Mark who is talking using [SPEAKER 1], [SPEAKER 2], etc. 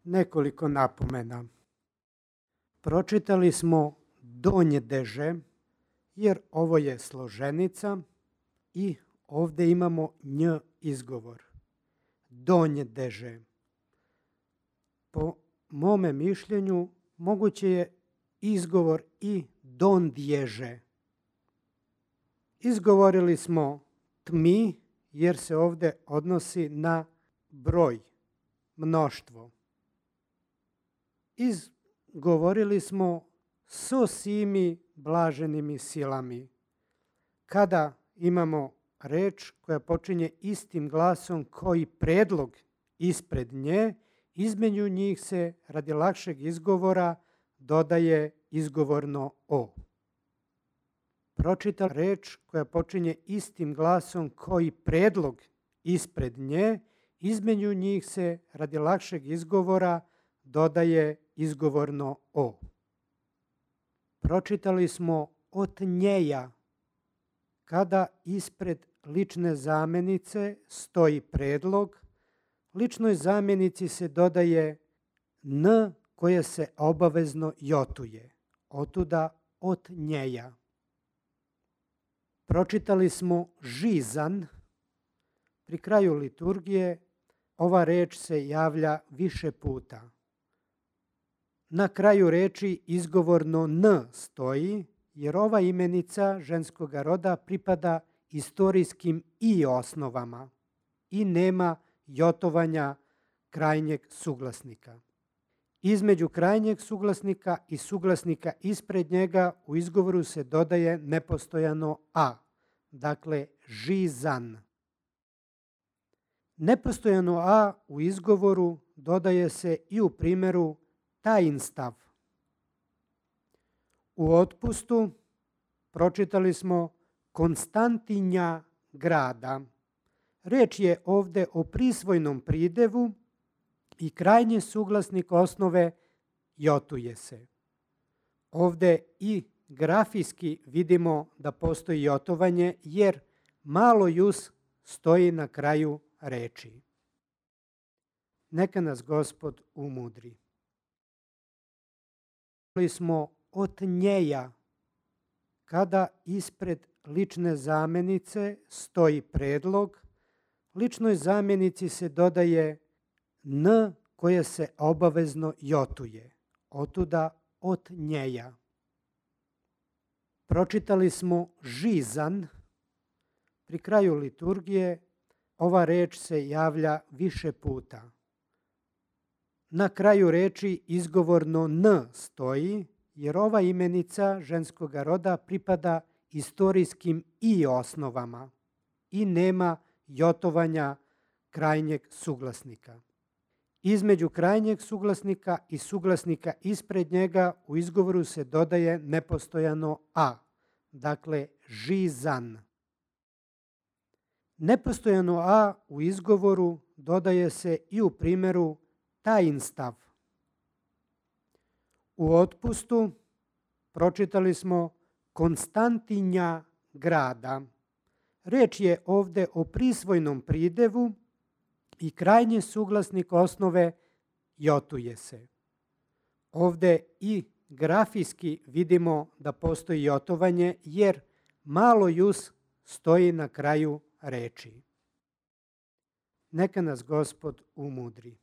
[SPEAKER 1] Nekoliko napomena. Pročitali smo donjedeže, jer ovo je složenica i ovdje imamo nj izgovor. Donjedeže. Po mome mišljenju moguće je izgovor i dondježe. Izgovorili smo tmi jer se ovdje odnosi na broj, mnoštvo. Izgovorili smo so simi blaženimi silami. Kada imamo reč koja počinje istim glasom koji predlog ispred nje, između njih se radi lakšeg izgovora dodaje izgovorno o. Pročitam reč koja počinje istim glasom koji predlog ispred nje, između njih se radi lakšeg izgovora dodaje izgovorno o. Pročitali smo od njeja. Kada ispred lične zamjenice stoji predlog, ličnoj zamjenici se dodaje n koje se obavezno jotuje. Otuda od njeja. Pročitali smo žizan. Pri kraju liturgije ova reč se javlja više puta. Na kraju reči izgovorno n stoji, jer ova imenica ženskog roda pripada istorijskim i osnovama i nema jotovanja krajnjeg suglasnika. Između krajnjeg suglasnika i suglasnika ispred njega u izgovoru se dodaje nepostojano a, dakle žizan. Nepostojano a u izgovoru dodaje se i u primjeru tajinstav. U otpustu pročitali smo Konstantinja grada. Riječ je ovdje o prisvojnom pridevu i krajnji suglasnik osnove jotuje se. Ovdje i grafijski vidimo da postoji jotovanje jer malo jus stoji na kraju reči. Neka nas Gospod umudri. Smo od njeja. Kada ispred lične zamjenice stoji predlog, ličnoj zamjenici se dodaje n koje se obavezno jotuje. Otuda od njeja. Pročitali smo žizan. Pri kraju liturgije ova reč se javlja više puta. Na kraju reči izgovorno n stoji, jer ova imenica ženskog roda pripada istorijskim i osnovama i nema jotovanja krajnjeg suglasnika. Između krajnjeg suglasnika i suglasnika ispred njega u izgovoru se dodaje nepostojano a, dakle žizan. Nepostojano a u izgovoru dodaje se i u primjeru tajinstav. U otpustu pročitali smo Konstantinja grada. Riječ je ovdje o prisvojnom pridevu i krajnji suglasnik osnove jotuje se. Ovdje i grafijski vidimo da postoji jotovanje jer malo jus stoji na kraju reči. Neka nas Gospod umudri.